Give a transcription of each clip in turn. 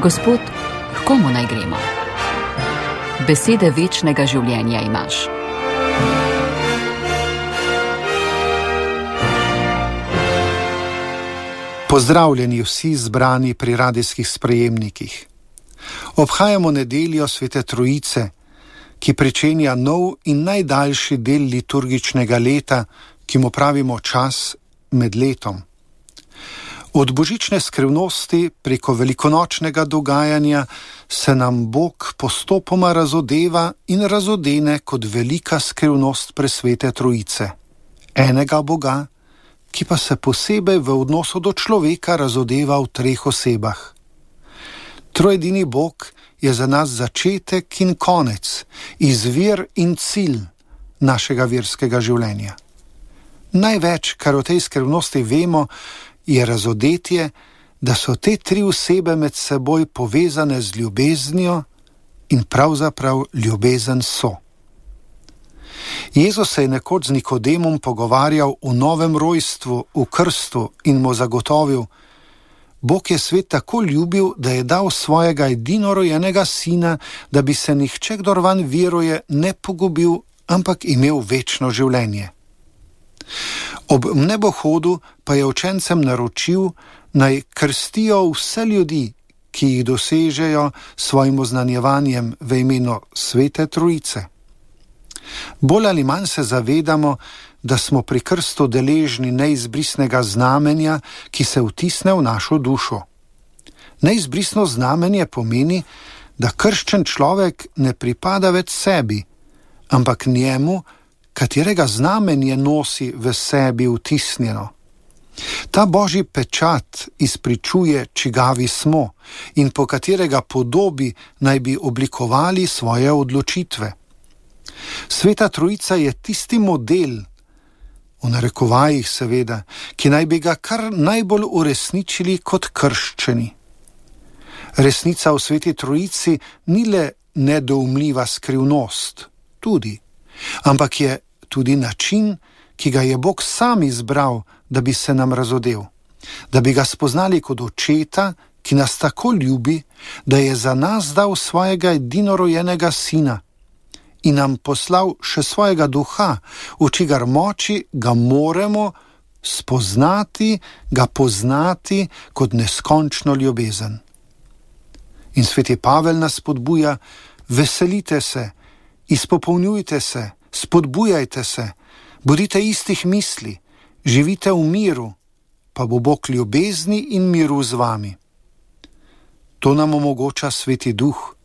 Gospod, h komu naj gremo? Besede večnega življenja imaš. Pozdravljeni vsi zbrani pri radijskih sprejemnikih. Obhajamo nedeljo Svete Trojice, ki pričenja nov in najdaljši del liturgičnega leta, ki mu pravimo čas med letom. Od božične skrivnosti preko velikonočnega dogajanja se nam Bog postopoma razodeva in razodene kot velika skrivnost presvete Trojice. Enega Boga, ki pa se posebej v odnosu do človeka razodeva v treh osebah. Trojedini Bog je za nas začetek in konec, izvir in cilj našega verskega življenja. Največ, kar o tej skrivnosti vemo, je razodetje, da so te tri osebe med seboj povezane z ljubeznijo in pravzaprav ljubezen so. Jezus se je nekoč z Nikodemom pogovarjal o novem rojstvu, v krstu in mu zagotovil: Bog je svet tako ljubil, da je dal svojega edinorojenega sina, da bi se nihče, kdor vanj veruje, ne pogubil, ampak imel večno življenje. Ob nebohodu pa je učencem naročil, naj krstijo vse ljudi, ki jih dosežejo s svojim oznanjevanjem v imenu Svete Trojice. Bolj ali manj se zavedamo, da smo pri krstu deležni neizbrisnega znamenja, ki se vtisne v našo dušo. Neizbrisno znamenje pomeni, da krščen človek ne pripada več sebi, ampak njemu, katerega znamenje nosi v sebi vtisnjeno. Ta božji pečat izpričuje, čigavi smo in po katerega podobi naj bi oblikovali svoje odločitve. Sveta Trojica je tisti model, v narekovajih seveda, ki naj bi ga kar najbolj uresničili kot krščeni. Resnica v Sveti Trojici ni le nedoumljiva skrivnost, tudi, ampak je tudi način, ki ga je Bog sam izbral, da bi se nam razodel, da bi ga spoznali kot očeta, ki nas tako ljubi, da je za nas dal svojega edinorojenega sina in nam poslal še svojega duha, v čigar moči ga moremo spoznati, ga poznati kot neskončno ljubezen. In sveti Pavel nas spodbuja: veselite se, izpopolnjujte se, spodbujajte se, bodite istih misli, živite v miru, pa bo Bog ljubezni in miru z vami. To nam omogoča Sveti Duh,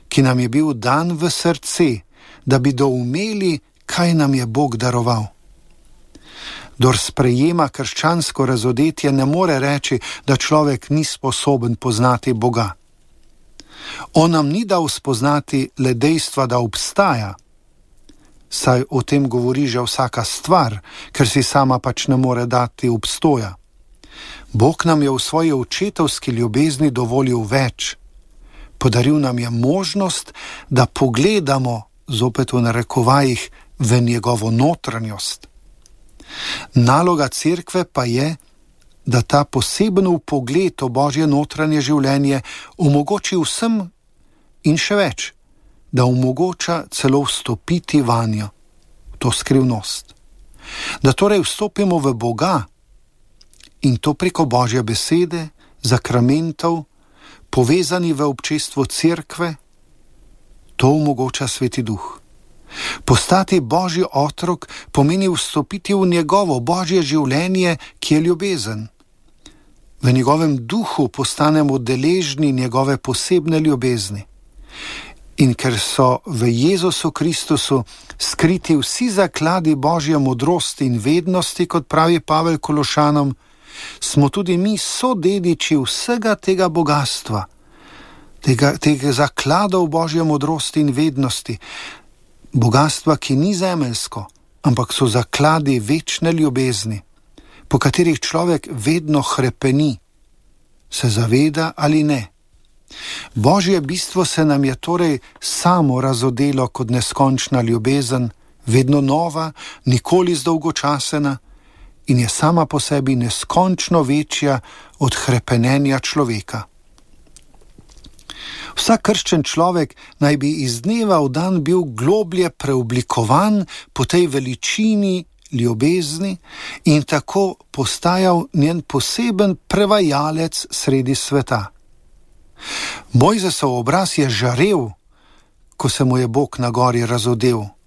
ki nam je bil dan v srce, da bi doumeli, kaj nam je Bog daroval. Kdor sprejema krščansko razodetje, ne more reči, da človek ni sposoben poznati Boga. On nam ni dal spoznati le dejstva, da obstaja, saj o tem govori že vsaka stvar, ker si sama pač ne more dati obstoja. Bog nam je v svoji očetovski ljubezni dovolil več. Podaril nam je možnost, da pogledamo, zopet v narekovajih, v njegovo notranjost. Naloga cerkve pa je, da ta poseben vpogled v Božje notranje življenje omogoči vsem in še več, da omogoča celo vstopiti vanjo, to skrivnost. Da torej vstopimo v Boga in to preko Božje besede, zakramentov, povezani v občestvo cerkve, to omogoča Sveti Duh. Postati Božji otrok pomeni vstopiti v njegovo Božje življenje, ki je ljubezen. V njegovem duhu postanemo deležni njegove posebne ljubezni. In ker so v Jezusu Kristusu skriti vsi zakladi Božje modrosti in vednosti, kot pravi Pavel Kološanom, smo tudi mi sodediči vsega tega bogatstva, tega zakladov Božje modrosti in vednosti, bogatstva, ki ni zemeljsko, ampak so zakladi večne ljubezni, po katerih človek vedno hrepeni, se zaveda ali ne. Božje bistvo se nam je torej samo razodelo kot neskončna ljubezen, vedno nova, nikoli zdolgočasena, in je sama po sebi neskončno večja od hrepenenja človeka. Vsak krščen človek naj bi iz dneva v dan bil globlje preoblikovan po tej veličini ljubezni in tako postajal njen poseben prevajalec sredi sveta. Mojzesov obraz je žarel, ko se mu je Bog na gori razodel.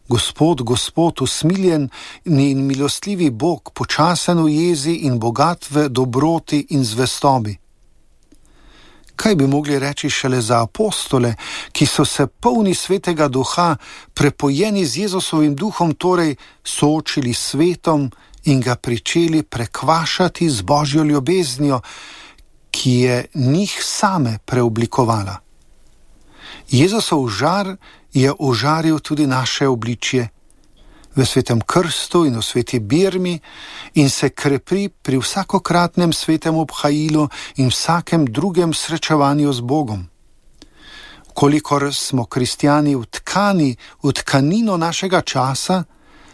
Gospod, Gospod, usmiljen in milostljivi Bog, počasen v jezi in bogat v dobroti in zvestobi. Kaj bi mogli reči šele za apostole, ki so se polni Svetega Duha, prepojeni z Jezusovim duhom, torej soočili s svetom in ga pričeli prekvašati z Božjo ljubeznijo, ki je njih same preoblikovala. Jezusov žar je ožaril tudi naše obličje v svetem krstu in v sveti birmi in se krepi pri vsakokratnem svetem obhajilu in vsakem drugem srečevanju z Bogom. Kolikor smo kristjani vtkani v tkanino našega časa,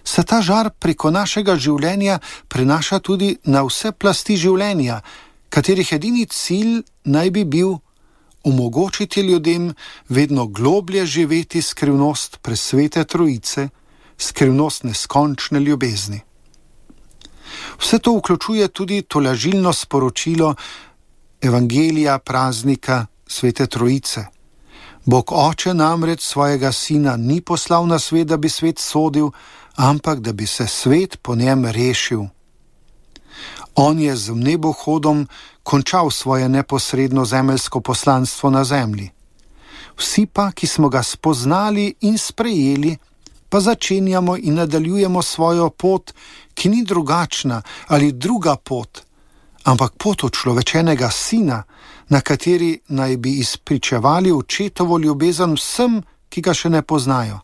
se ta žar preko našega življenja prenaša tudi na vse plasti življenja, katerih edini cilj naj bi bil omogočiti ljudem vedno globlje živeti skrivnost presvete Trojice, skrivnost neskončne ljubezni. Vse to vključuje tudi tolažilno sporočilo evangelija praznika Svete Trojice. Bog Oče namreč svojega Sina ni poslal na svet, da bi svet sodil, ampak da bi se svet po njem rešil. On je z nebohodom končal svoje neposredno zemeljsko poslanstvo na zemlji. Vsi pa, ki smo ga spoznali in sprejeli, pa začenjamo in nadaljujemo svojo pot, ki ni drugačna ali druga pot, ampak pot človečenega Sina, na kateri naj bi izpričevali očetovo ljubezen vsem, ki ga še ne poznajo.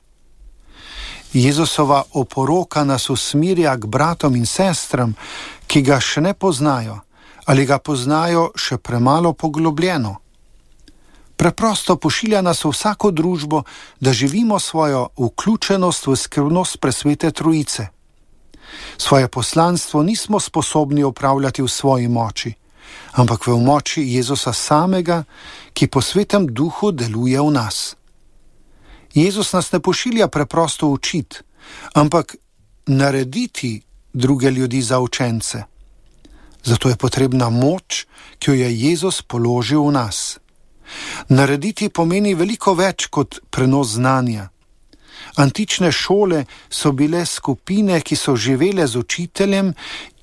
Jezusova oporoka nas usmirja k bratom in sestram, ki ga še ne poznajo ali ga poznajo še premalo poglobljeno. Preprosto pošilja nas v vsako družbo, da živimo svojo vključenost v skrivnost presvete Trojice. Svoje poslanstvo nismo sposobni opravljati v svoji moči, ampak v moči Jezusa samega, ki po svetem duhu deluje v nas. Jezus nas ne pošilja preprosto učiti, ampak narediti druge ljudi za učence. Zato je potrebna moč, ki jo je Jezus položil v nas. Narediti pomeni veliko več kot prenos znanja. Antične šole so bile skupine, ki so živele z učiteljem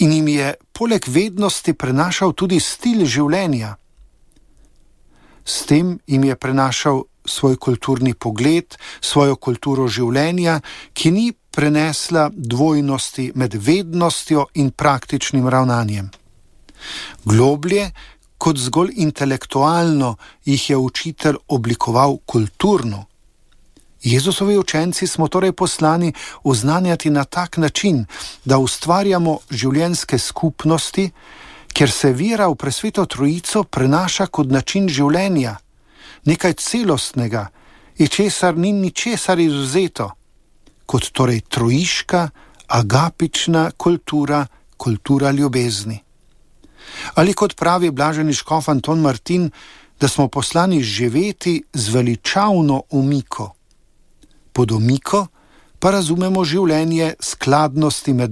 in jim je poleg vednosti prenašal tudi stil življenja. S tem jim je prenašal svoj kulturni pogled, svojo kulturo življenja, ki ni prenesla dvojnosti med vednostjo in praktičnim ravnanjem. Globlje kot zgolj intelektualno jih je učitelj oblikoval kulturno. Jezusovi učenci smo torej poslani oznanjati na tak način, da ustvarjamo življenjske skupnosti, kjer se vera v presveto Trojico prenaša kot način življenja, nekaj celostnega, in česar ni ničesar izvzeto, kot torej trojiška, agapična kultura, kultura ljubezni. Ali kot pravi blaženi škof Anton Martin, da smo poslani živeti z veličavno omiko. Pod omiko pa razumemo življenje skladnosti med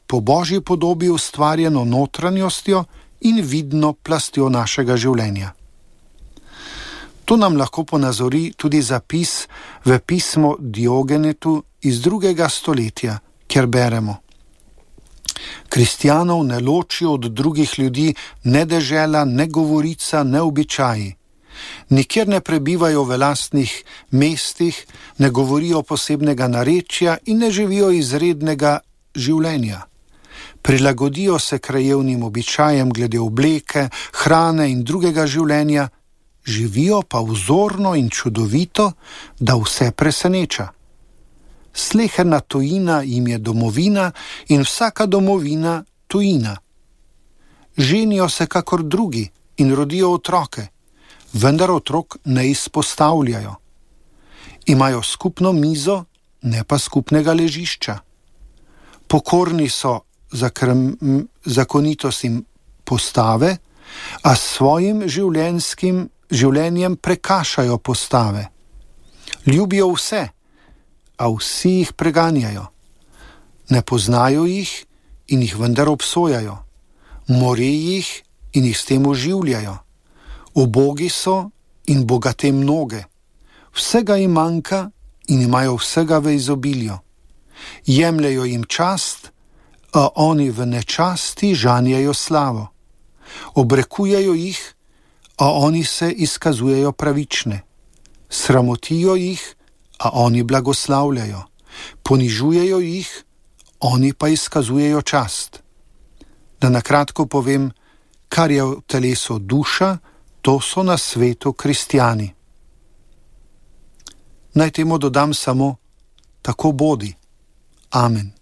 po Božji podobi ustvarjeno notranjostjo in vidno plastjo našega življenja. To nam lahko ponazori tudi zapis v pismo Diogenetu iz 2. stoletja, kjer beremo: Kristjanov ne ločijo od drugih ljudi ne dežela, ne govorica, ne običaji. Nikjer ne prebivajo v lastnih mestih, ne govorijo posebnega narečja in ne živijo izrednega življenja. Prilagodijo se krajevnim običajem glede obleke, hrane in drugega življenja, živijo pa vzorno in čudovito, da vse preseneča. Sleherna tujina jim je domovina in vsaka domovina tujina. Ženijo se kakor drugi in rodijo otroke, vendar otrok ne izpostavljajo. Imajo skupno mizo, ne pa skupnega ležišča. Pokorni so zakonitostim postave, a s svojim življenjem prekašajo postave. Ljubijo vse, a vsi jih preganjajo. Ne poznajo jih in jih vendar obsojajo. More jih in jih s tem oživljajo. Ubogi so in bogate mnoge. Vsega jim manjka in imajo vsega v izobilju. Jemljajo jim čast, a oni v nečasti žanjejo slavo. Obrekujejo jih, a oni se izkazujejo pravične. Sramotijo jih, a oni blagoslavljajo. Ponižujejo jih, oni pa izkazujejo čast. Da na kratko povem, kar je v telesu duša, to so na svetu kristjani. Naj temu dodam samo, tako bodi. Amen.